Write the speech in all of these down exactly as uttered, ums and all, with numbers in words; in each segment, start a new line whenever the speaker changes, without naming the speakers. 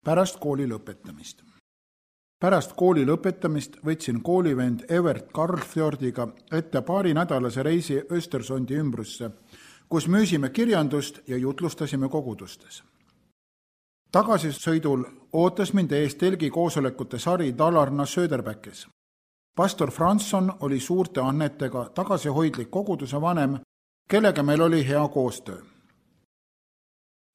pärast kooli lõpetamist. Pärast kooli lõpetamist võtsin koolivend Evert Karlfjordiga ette paari nädalase reisi Östersondi ümbrusse, kus müüsime kirjandust ja jutlustasime kogudustes. Tagasisõidul ootas mind ees telgi koosolekute sari Dalarna Söderbergis. Pastor Franson oli suurte annetega tagasihoidlik koguduse vanem, kellega meil oli hea koostöö.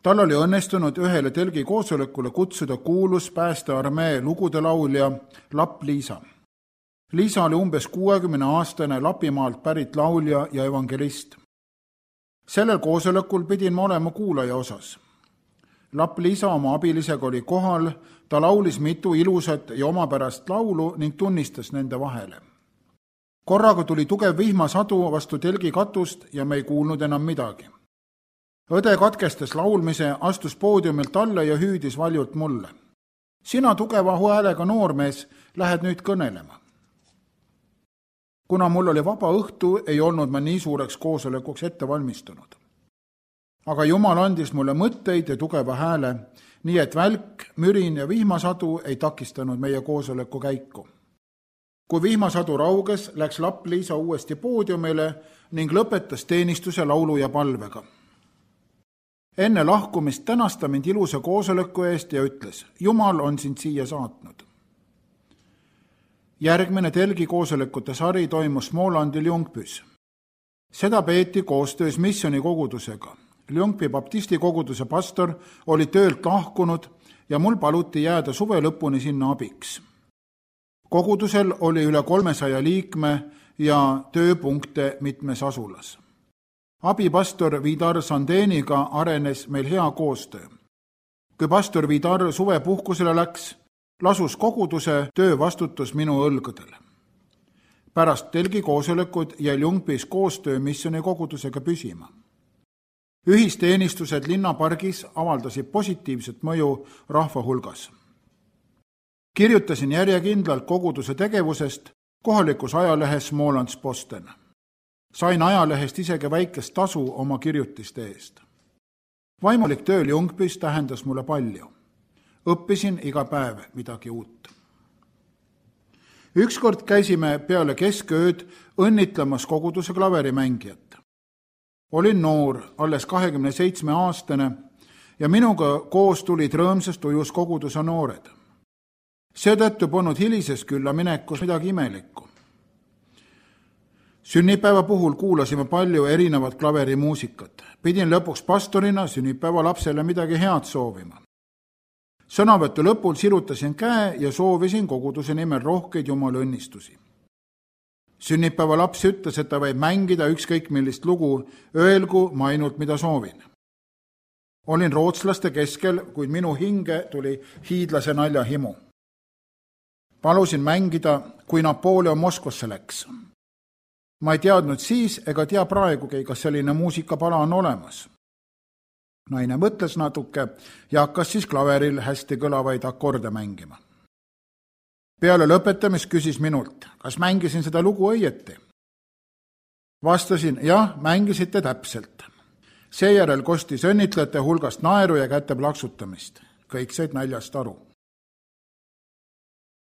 Tal oli õnnestunud ühele telgi koosolekule kutsuda kuulus päästearmee lugude laulja Lapp Liisa. Liisa oli umbes kuuekümne aastane Lapimaalt pärit laulja ja evangelist. Sellel koosolekul pidin ma olema kuulaja osas. Lapp Liisa oma abilisega oli kohal, ta laulis mitu ilusat ja omapärast laulu ning tunnistas nende vahele. Korraga tuli tugev vihmasadu vastu telgi katust ja me ei kuulnud enam midagi. Õde katkestas laulmise, astus poodiumilt alla ja hüüdis valjult mulle. Sina tugeva häälega noormees, lähed nüüd kõnelema. Kuna mul oli vaba õhtu, ei olnud ma nii suureks koosolekuks ette valmistunud. Aga Jumal andis mulle mõtteid ja tugeva hääle, nii et välk, mürin ja vihmasadu ei takistanud meie koosoleku käiku. Kui vihmasadu rauges, läks Lapp Liisa uuesti poodiumile ning lõpetas teenistuse laulu ja palvega. Enne lahkumist tänas ta mind ilusa koosoleku eest ja ütles, Jumal on sind siia saatnud. Järgmine telgi koosolekute sari toimus Smålandil Ljungpys. Seda peeti koostöös missiooni kogudusega. Ljungby baptisti koguduse pastor oli töölt lahkunud ja mul paluti jääda suve lõpuni sinna abiks. Kogudusel oli üle kolmesaja liikme ja tööpunkte mitmes asulas. Abipastor Vidar Sandeniga arenes meil hea koostöö. Kui pastor Vidar suvepuhkusele läks, lasus koguduse töövastutus minu õlgõdele. Pärast telgi koosolekud jäi Ljungbys koostöö missiooni kogudusega püsima. Ühisteenistused linnapargis avaldasid positiivset mõju rahva hulgas. Kirjutasin järjekindlalt koguduse tegevusest kohalikus ajalehes Smålandsposten. Sain ajalehest isegi väikest tasu oma kirjutiste eest. Vaimulik töö Ljungbys tähendas mulle palju. Õppisin iga päev midagi uut. Ükskord käisime peale keskööd õnnitlemas koguduse klaverimängijat. Olin noor, alles kahekümne seitsme aastane ja minuga koos tulid rõõmsast ujus koguduse noored. Seetõttu polnud hilises külla minekus midagi imelikku. Sünnipäeva puhul kuulasime palju erinevat klaverimuusikat. Pidin lõpuks pastorina sünnipäeva lapsele midagi head soovima. Sõnavõttu lõpul sirutasin käe ja soovisin koguduse nimel rohkeid Jumala õnnistusi. Sünnipäeva laps ütles, et ta võib mängida ükskõik millist lugu, öelgu ma ainult mida soovin. Olin rootslaste keskel, kuid minu hinge tuli hiidlase naljahimu. Palusin mängida, kui Napoleon Moskvasse läks. Ma ei teadnud siis ega tea praegugi, kas selline muusikapala on olemas. Naine mõtles natuke ja hakkas siis klaveril hästi kõlavaid akorde mängima. Peale lõpetamist küsis minult, kas mängisin seda lugu õieti. Vastasin, jah, mängisite täpselt. Seejärel kostis õnnitlejate hulgast naeru ja käte plaksutamist. Kõik said naljast aru.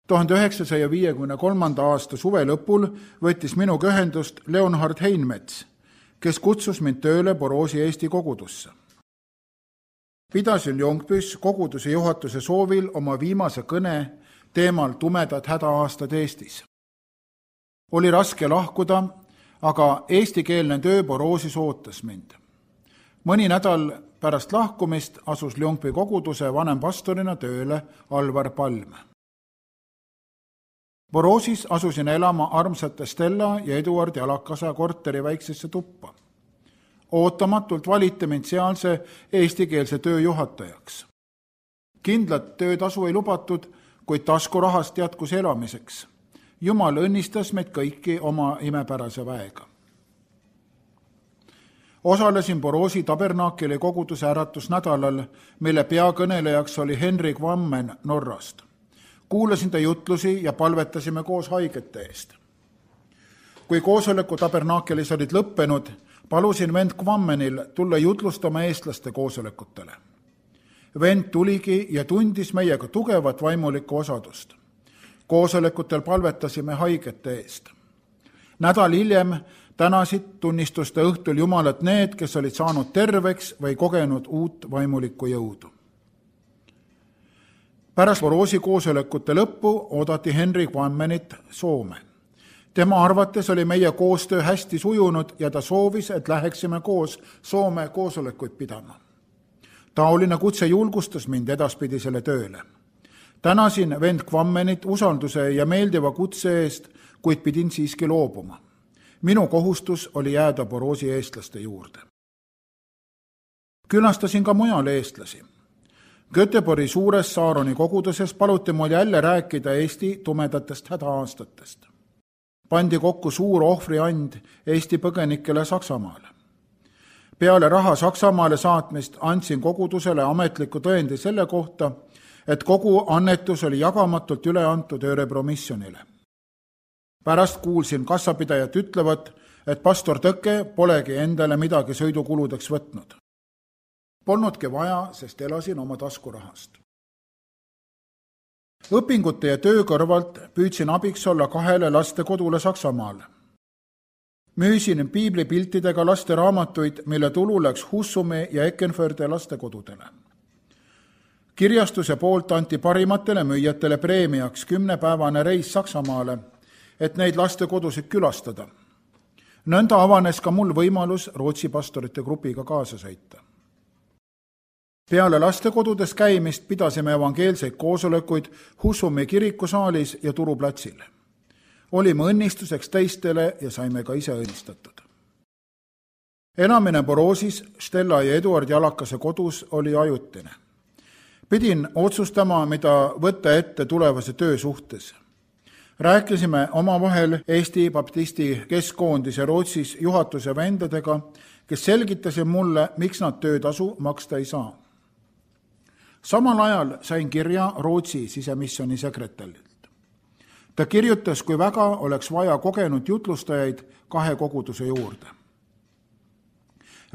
tuhande üheksasaja viiekümne kolmanda aasta suve lõpul võttis minuga ühendust Leonhard Heinmets, kes kutsus mind tööle Boroosi Eesti kogudusse. Pidasin Ljungbys koguduse juhatuse soovil oma viimase kõne teemal tumedad hädaaastad Eestis. Oli raske lahkuda, aga eestikeelne töö Boroosis ootas mind. Mõni nädal pärast lahkumist asus Ljungby koguduse vanempastorina tööle Alvar Palm. Boroosis asusin elama armsate Stella ja Eduard Jalakasa korteri väiksesse tuppa. Ootamatult valiti mind sealse eestikeelse töö juhatajaks. Kindlat töötasu ei lubatud, kuid taskurahast jätkus elamiseks. Jumal õnnistas meid kõiki oma imepärase väega. Osalesin Boroosi tabernaakeli koguduse äratusnädalal, mille peakõnelejaks oli Henrik Vammen Norrast. Kuulasin ta jutlusi ja palvetasime koos haigete eest. Kui koosoleku tabernaakelis olid lõppenud, palusin vend Kvammenil tulla jutlustama eestlaste koosolekutele. vend tuligi ja tundis meiega tugevat vaimulikku osadust. Koosolekutel palvetasime haigete eest. Nädal hiljem tänasid tunnistuste õhtul Jumalat need, kes olid saanud terveks või kogenud uut vaimulikku jõudu. Pärast Boroosi koosolekute lõppu oodati Henry Quammenit Soome. Tema arvates oli meie koostöö hästi sujunud ja ta soovis, et läheksime koos Soome koosolekuid pidama. Taoline kutse julgustas mind edaspidisele tööle. Tänasin vend Quammenit usalduse ja meeldiva kutse eest, kuid pidin siiski loobuma. Minu kohustus oli jääda Boroosi eestlaste juurde. Külastasin ka mujal eestlasi. Göteborgi suures Saaroni koguduses paluti mul jälle rääkida Eesti tumedatest hädaaastatest. Pandi kokku suur ohvriand Eesti põgenikele Saksamaale. Peale raha Saksamaale saatmist andsin kogudusele ametliku tõendi selle kohta, et kogu annetus oli jagamatult üle antud Örebro missionile. Pärast kuulsin kassapidajat ütlevat, et pastor Tõke polegi endale midagi sõidukuludeks võtnud. Polnudki vaja, sest elasin oma taskurahast. Õpingute ja töö kõrvalt püüdsin abiks olla kahele lastekodule Saksamaale. Müüsin piiblipiltidega laste raamatuid, mille tulu läks Husumi ja Eckenförde lastekodudele. Kirjastuse poolt anti parimatele müüjatele preemiaks kümnepäevane reis Saksamaale, et neid lastekodusid külastada. Nõnda avanes ka mul võimalus Rootsi pastorite grupiga kaasa sõita. Peale lastekodudes käimist pidasime evangeelseid koosolekuid Husumi kirikusaalis ja Turu platsil. Olime õnnistuseks teistele ja saime ka ise õnnistatud. Elamine Boroosis Stella ja Eduard Jalakase kodus oli ajutine. Pidin otsustama, mida võtta ette tulevase töö suhtes. Rääkisime omavahel Eesti Baptisti Keskkoondise Rootsis juhatuse vendadega, kes selgitasid mulle, miks nad töötasu maksta ei saa. Samal ajal sain kirja Rootsi sisemissiooni sekretärilt. Ta kirjutas, kui väga oleks vaja kogenud jutlustajaid kahe koguduse juurde.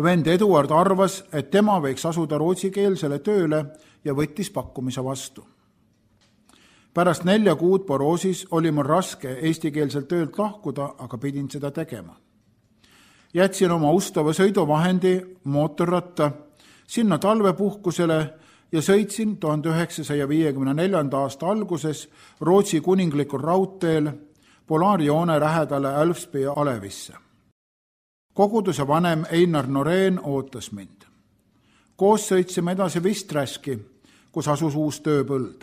Vend Eduard arvas, et tema võiks asuda rootsikeelsele tööle ja võttis pakkumise vastu. Pärast nelja kuud Boroosis oli mul raske eestikeelselt töölt lahkuda, aga pidin seda tegema. Jätsin oma ustava sõiduvahendi mootorratta sinna talvepuhkusele ja sõitsin tuhande üheksasaja viiekümne neljanda aasta alguses Rootsi kuninglikul raudteel polaarjoone lähedale Älvsby alevisse. Koguduse vanem Einar Noreen ootas mind. Koos sõitsime edasi Visträski, kus asus uus tööpõld.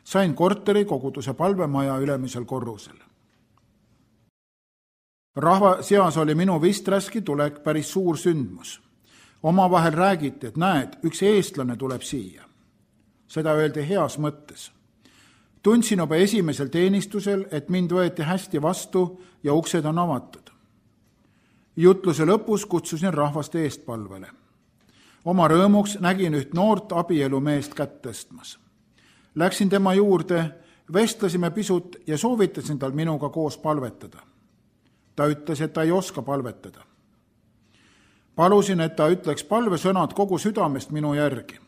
Sain korteri koguduse palvemaja ülemisel korrusel. Rahva seas oli minu Visträski tulek päris suur sündmus. Omavahel räägiti, et näed, üks eestlane tuleb siia. Seda öeldi heas mõttes. Tundsin juba esimesel teenistusel, et mind võeti hästi vastu ja uksed on avatud. Jutluse lõpus kutsusin rahvast eestpalvele. Oma rõõmuks nägin üht noort abielumeest kätt tõstmas. Läksin tema juurde, vestlesime pisut ja soovitasin tal minuga koos palvetada. Ta ütles, et ta ei oska palvetada. Palusin, et ta ütleks palvesõnad kogu südamest minu järgi.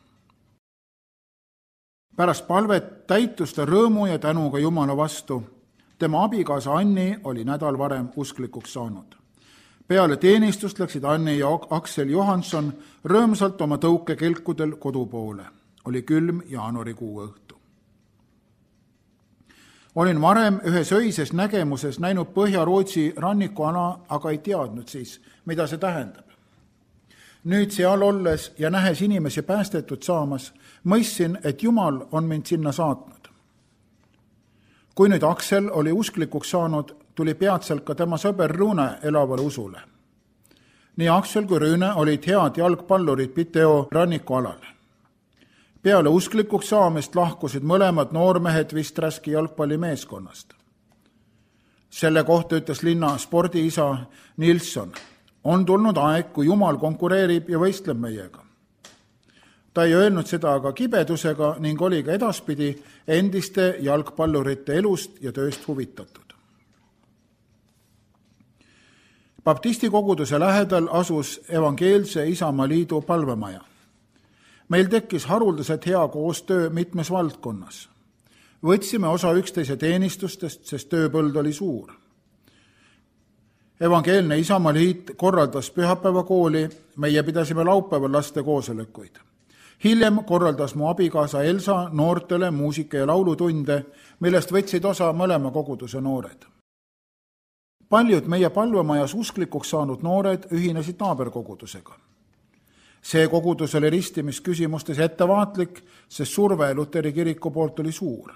Pärast palvet täitus ta rõõmu ja tänuga Jumala vastu. Tema abikaasa Anni oli nädal varem usklikuks saanud. Peale teenistust läksid Anni ja Aksel Johansson rõõmsalt oma tõukekelkudel kodu poole. Oli külm jaanuarikuu õhtu. Olin varem ühes öises nägemuses näinud Põhja-Rootsi rannikuala, aga ei teadnud siis, mida see tähendab. Nüüd seal olles ja nähes inimesi päästetud saamas, mõistsin, et Jumal on mind sinna saatnud. Kui nüüd Aksel oli usklikuks saanud, tuli peatselt ka tema sõber Rune elavale usule. Nii Aksel kui Rune olid head jalgpallurid Piteo rannikualal. Peale usklikuks saamist lahkusid mõlemad noormehed Visträski jalgpallimeeskonnast. Selle kohta ütles linna spordiisa Nilsson. On tulnud aeg, kui Jumal konkureerib ja võistleb meiega. Ta ei öelnud seda aga kibedusega ning oli ka edaspidi endiste jalgpallurite elust ja tööst huvitatud. Baptisti koguduse lähedal asus evangeelse Isamaa liidu palvemaja. Meil tekkis haruldaselt hea koostöö mitmes valdkonnas. Võtsime osa üksteise teenistustest, sest tööpõld oli suur. Evangeelne Isamaa Liit korraldas pühapäevakooli, meie pidasime laupäeval laste koosolekuid. Hiljem korraldas mu abikaasa Elsa noortele muusika- ja laulutunde, millest võtsid osa mõlema koguduse noored. Paljud meie palvemajas usklikuks saanud noored ühinesid naaberkogudusega. See kogudus oli ristimisküsimustes ettevaatlik, sest surve Luteri kiriku poolt oli suur.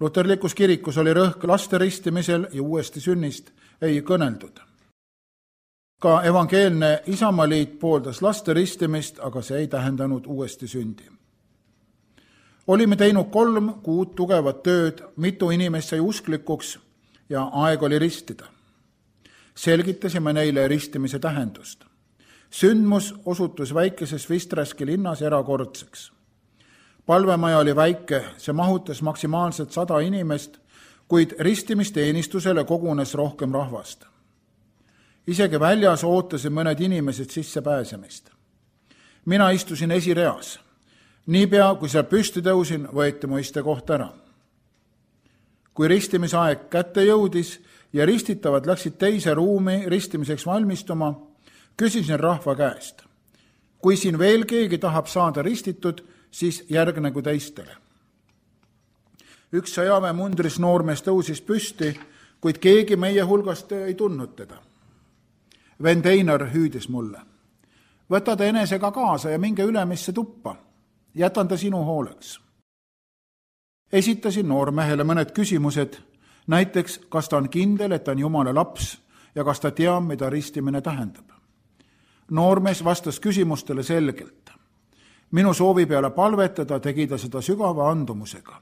Luterlikus kirikus oli rõhk laste ristimisel ja uuesti sünnist ei kõneldud. Ka evangeelne Isamaa Liit pooldas laste ristimist, aga see ei tähendanud uuesti sündi. Olime teinud kolm kuud tugevat tööd, mitu inimest sai usklikuks ja aeg oli ristida. Selgitasime neile ristimise tähendust. Sündmus osutus väikeses Visträski linnas erakordseks. Palvemaja oli väike, see mahutas maksimaalselt sada inimest, kuid ristimisteenistusele kogunes rohkem rahvast. Isegi väljas ootasid mõned inimesed sisse pääsemist. Mina istusin esireas. Niipea, kui seal püsti tõusin, võeti mu istekoht ära. Kui ristimisaeg kätte jõudis ja ristitavad läksid teise ruumi ristimiseks valmistuma, küsisin rahva käest. Kui siin veel keegi tahab saada ristitud, siis järgnegu teistele. Üks sõjaväe mundris noormees tõusis püsti, kuid keegi meie hulgast ei tundnud teda. Vend Einar hüüdis mulle. Võta ta enesega kaasa ja minge ülemisse tuppa. Jätan ta sinu hooleks. Esitasin noormehele mõned küsimused, näiteks kas ta on kindel, et ta on Jumala laps ja kas ta teab, mida ristimine tähendab. Noormees vastas küsimustele selgelt. Minu soovi peale palvetada tegi ta seda sügava andumusega.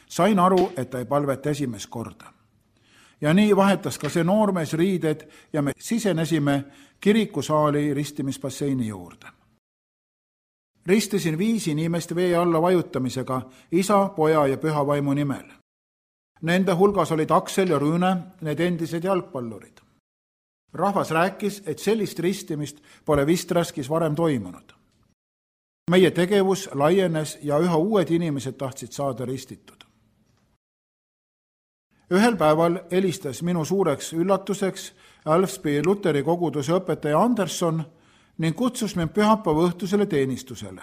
Sain aru, et ta ei palveta esimest korda. Ja nii vahetas ka see noormees riided ja me sisenesime kirikusaali ristimisbasseini juurde. Ristisin viis inimest vee alla vajutamisega isa, poja ja püha vaimu nimel. Nende hulgas olid Aksel ja Rüüne, need endised jalgpallurid. Rahvas rääkis, et sellist ristimist pole Visträskis varem toimunud. Meie tegevus laienes ja üha uued inimesed tahtsid saada ristitud. Ühel päeval helistas minu suureks üllatuseks Älvspi Luteri koguduse õpetaja Anderson ning kutsus mind pühapäeva õhtusele teenistusele.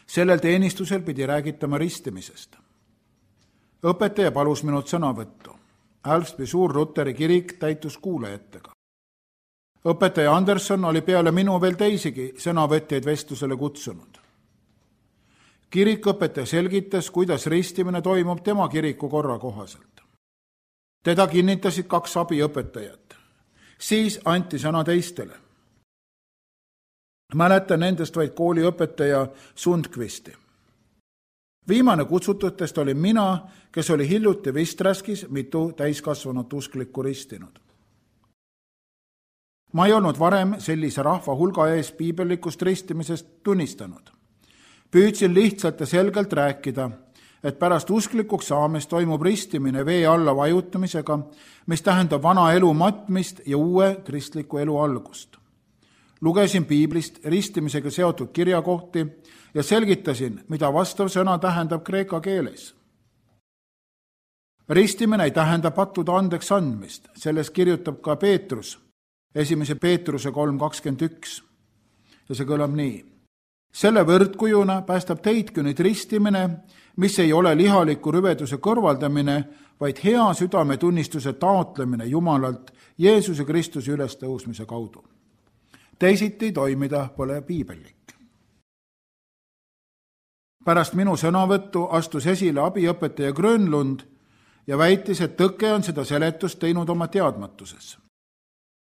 Sellel teenistusel pidi räägitama ristimisest. Õpetaja palus minult sõnavõttu. Älvspi suur Luteri kirik täitus kuulajatega. Õpetaja Anderson oli peale minu veel teisigi sõnavõtjaid vestlusele kutsunud. Kirikõpetaja selgitas, kuidas ristimine toimub tema kiriku korra kohaselt. Teda kinnitasid kaks abiõpetajat. Siis anti sõna teistele. Mäletan nendest vaid kooliõpetaja Sundqvisti. Viimane kutsututest oli mina, kes oli hiljuti Visträskis mitu täiskasvanut usklikku ristinud. Ma ei olnud varem sellise rahva hulga ees piibellikust ristimisest tunnistanud. Püüdsin lihtsalt ja selgelt rääkida, et pärast usklikuks saamist toimub ristimine vee alla vajutamisega, mis tähendab vana elu matmist ja uue kristliku elu algust. Lugesin piiblist ristimisega seotud kirjakohti ja selgitasin, mida vastav sõna tähendab kreeka keeles. Ristimine ei tähenda pattude andeks andmist, selles kirjutab ka Peetrus, esimese Peetruse kolm kakskümmend üks. Ja see kõlab nii. Selle võrdkujuna päästab teidki nüüd ristimine, mis ei ole lihaliku rüveduse kõrvaldamine, vaid hea südametunnistuse taotlemine Jumalalt Jeesuse Kristuse ülestõusmise kaudu. Teisiti toimida pole piibellik. Pärast minu sõnavõttu astus esile abiõpetaja Grönlund ja väitis, et tõke on seda seletust teinud oma teadmatuses.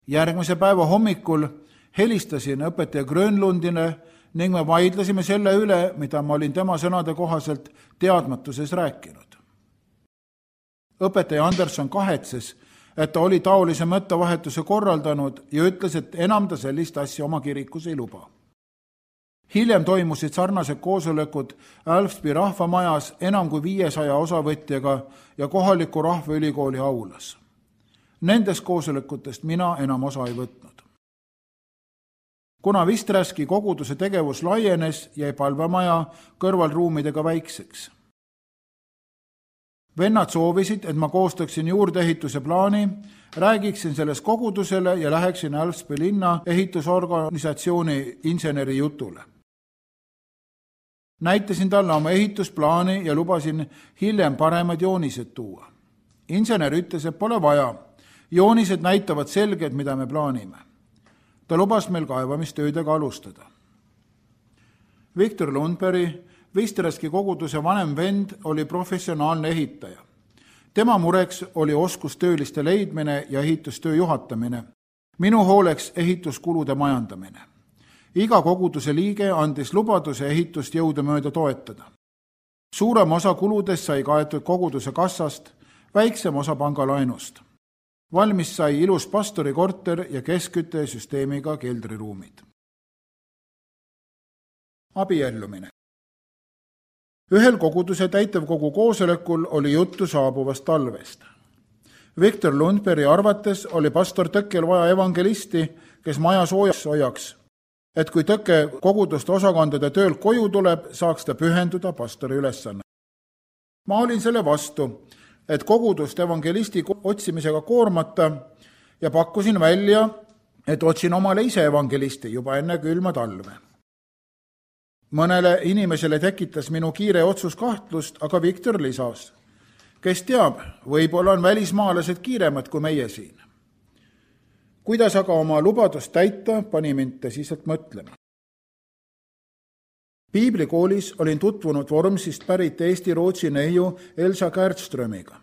Järgmise päeva hommikul helistasin õpetaja Grönlundile ning me vaidlesime selle üle, mida ma olin tema sõnade kohaselt teadmatuses rääkinud. Õpetaja Anderson kahetses, et ta oli taolise mõttevahetuse korraldanud ja ütles, et enam ta sellist asja oma kirikus ei luba. Hiljem toimusid sarnased koosolekud Älvspi rahvamajas enam kui viiesaja osavõtjaga ja kohaliku rahvaülikooli aulas. Nendest koosolekutest mina enam osa ei võtnud. Kuna Visträski koguduse tegevus laienes, jäi palvemaja kõrvalruumidega väikseks. Vennad soovisid, et ma koostaksin juurdeehituse plaani, räägiksin selles kogudusele ja läheksin Älvspi linna ehitusorganisatsiooni inseneri jutule. Näitasin talle oma ehitusplaani ja lubasin hiljem paremad joonised tuua. Insener ütles, et pole vaja. Joonised näitavad selgelt, mida me plaanime. Ta lubas meil kaevamistöödega alustada. Viktor Lundberg, Visträski koguduse vanem vend, oli professionaalne ehitaja. Tema mureks oli oskustööliste leidmine ja ehitustöö juhatamine. Minu hooleks ehituskulude majandamine. Iga koguduse liige andis lubaduse ehitust jõudumööda toetada. Suurem osa kuludest sai kaetud koguduse kassast, väiksem osa pangalaenust. Valmis sai ilus pastori korter ja keskküttesüsteemiga keldriruumid. Abiellumine. Ühel koguduse täitevkogu koosolekul oli juttu saabuvast talvest. Viktor Lundbergi arvates oli pastor Tõkkel vaja evangelisti, kes maja soojaks hoiaks, et kui Tõkke koguduste osakondade töölt koju tuleb, saaks ta pühenduda pastori ülesanne. Ma olin selle vastu, et kogudust evangelisti otsimisega koormata ja pakkusin välja, et otsin omale ise evangelisti juba enne külma talve. Mõnele inimesele tekitas minu kiire otsus kahtlust, aga Viktor lisas, kes teab, võib-olla on välismaalased kiiremad kui meie siin. Kuidas aga oma lubadust täita, pani mind tõsiselt mõtlema. Piiblikoolis olin tutvunud Vormsist pärit Eesti-Rootsi neiu Elsa Kärtströmiga.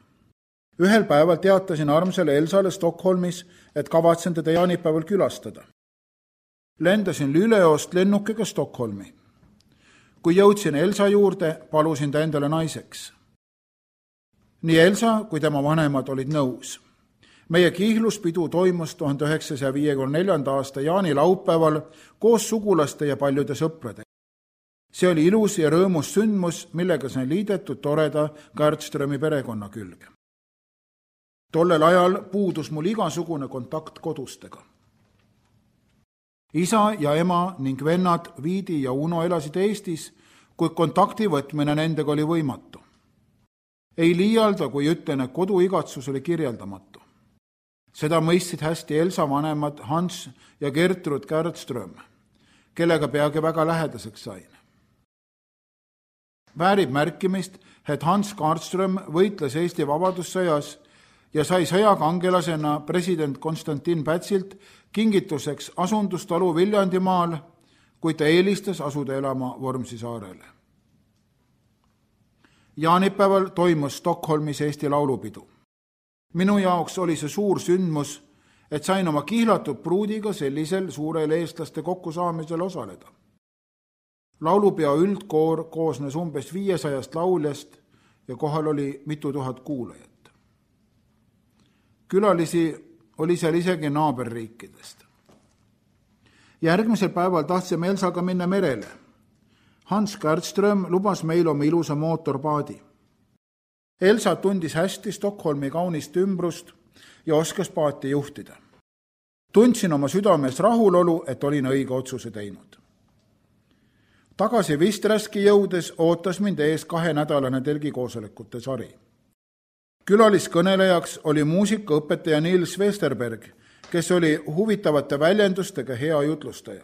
Ühel päeval teatasin armsale Elsale Stockholmis, et kavatsen teda jaanipäeval külastada. Lendasin Lüleost lennukiga Stockholmi. Kui jõudsin Elsa juurde, palusin ta endale naiseks. Nii Elsa kui tema vanemad olid nõus. Meie kiihluspidu toimus tuhande üheksasaja viiekümne neljanda aasta jaanilaupäeval koos sugulaste ja paljude sõpradega. See oli ilus ja rõõmus sündmus, millega sain liidetud toreda Kärtströmi perekonna külge. Tollel ajal puudus mul igasugune kontakt kodustega. Isa ja ema ning vennad Viidi ja Uno elasid Eestis, kuid kontakti võtmine nendega oli võimatu. Ei liialda, kui ütlen, et koduigatsus oli kirjeldamatu. Seda mõistsid hästi Elsa vanemad Hans ja Gertrud Kärtström, kellega peagi väga lähedaseks sain. Väärib märkimist, et Hans Kärtström võitles Eesti vabadussõjas ja sai sõjakangelasena president Konstantin Pätsilt kingituseks asundustalu Viljandimaal, kui ta eelistas asuda elama Vormsi saarele. Jaanipäeval toimus Stockholmis Eesti laulupidu. Minu jaoks oli see suur sündmus, et sain oma kihlatud pruudiga sellisel suurel eestlaste kokkusaamisel osaleda. Laulupeo üldkoor koosnes umbes viiesajast lauljast ja kohal oli mitu tuhat kuulajat. Külalisi oli seal isegi naaberriikidest. Järgmisel päeval tahtsime Elsaga minna merele. Hans Kärtström lubas meil oma ilusa mootorpaadi. Elsa tundis hästi Stockholmi kaunist ümbrust ja oskas paati juhtida. Tundsin oma südames rahulolu, et olin õige otsuse teinud. Tagasi Visträski jõudes ootas mind ees kahenädalane telgikoosolekute sari. Külaliskõnelejaks oli muusikaõpetaja Nils Westerberg, kes oli huvitavate väljendustega hea jutlustaja.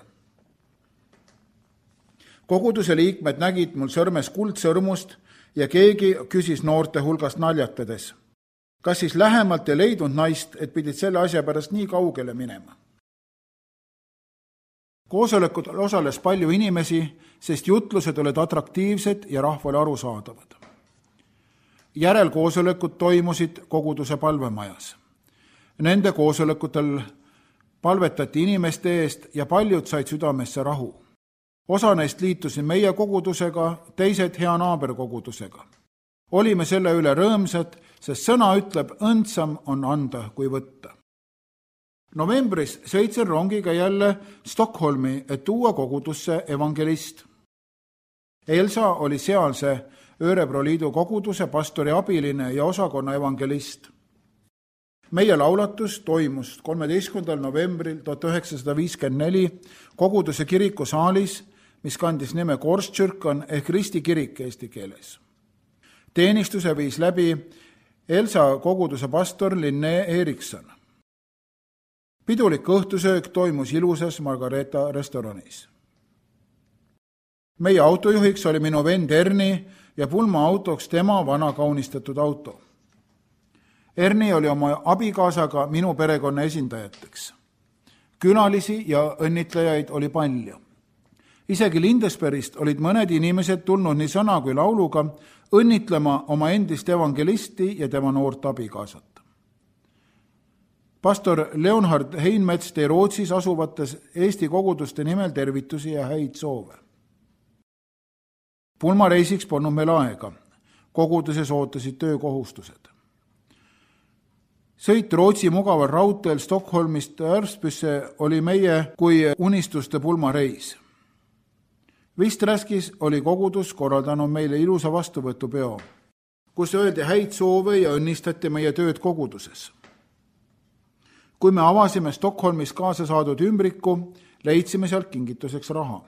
Koguduse liikmed nägid mul sõrmes kuldsõrmust ja keegi küsis noorte hulgast naljatades. Kas siis lähemalt ei leidnud naist, et pidid selle asja pärast nii kaugele minema? Koosolekut osales palju inimesi, sest jutlused olid atraktiivsed ja rahvale arusaadavad. Järelkoosolekud toimusid koguduse palvemajas. Nende koosolekutel palvetati inimeste eest ja paljud said südamesse rahu. Osa neist liitusid meie kogudusega, teised hea naaberkogudusega. Olime selle üle rõõmsad, sest sõna ütleb, õndsam on anda kui võtta. Novembris sõitsin rongiga jälle Stockholmi, et tuua kogudusse evangelist. Elsa oli sealse Örebro liidu koguduse pastori abiline ja osakonna evangelist. meie laulatus toimus kolmeteistkümnendal novembril tuhat üheksasada viiskümmend neli koguduse kiriku saalis, mis kandis nime Korskirkon ehk Risti kirik eesti keeles. Teenistuse viis läbi Elsa koguduse pastor Linne Erikson. Pidulik õhtusöök toimus ilusas Margareta restoranis. Meie autojuhiks oli minu vend Erni ja pulma autoks tema vana kaunistatud auto. Erni oli oma abikaasaga minu perekonna esindajateks. Külalisi ja õnnitlejaid oli palju. Isegi Lindesbergist olid mõned inimesed tulnud nii sõna kui lauluga õnnitlema oma endist evangelisti ja tema noort abikaasat. Pastor Leonhard Heinmets tõi Rootsis asuvates Eesti koguduste nimel tervitusi ja häid soove. Pulmareisiks polnud meil aega. Koguduses ootasid töökohustused. Sõit Rootsi mugaval raudteel Stockholmist Ärspüsse oli meie kui unistuste pulmareis. Visträskis oli kogudus korraldanud meile ilusa vastuvõtupeo, kus öeldi häid soove ja õnnistati meie tööd koguduses. Kui me avasime Stockholmis kaasa saadud ümbriku, leidsime sealt kingituseks raha.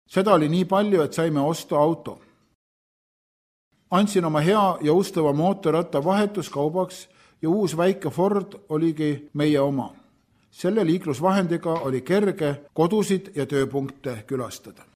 Seda oli nii palju, et saime osta auto. Andsin oma hea ja ustava mootorratta vahetuskaubaks ja uus väike Ford oligi meie oma. Selle liiklusvahendiga oli kerge kodusid ja tööpunkte külastada.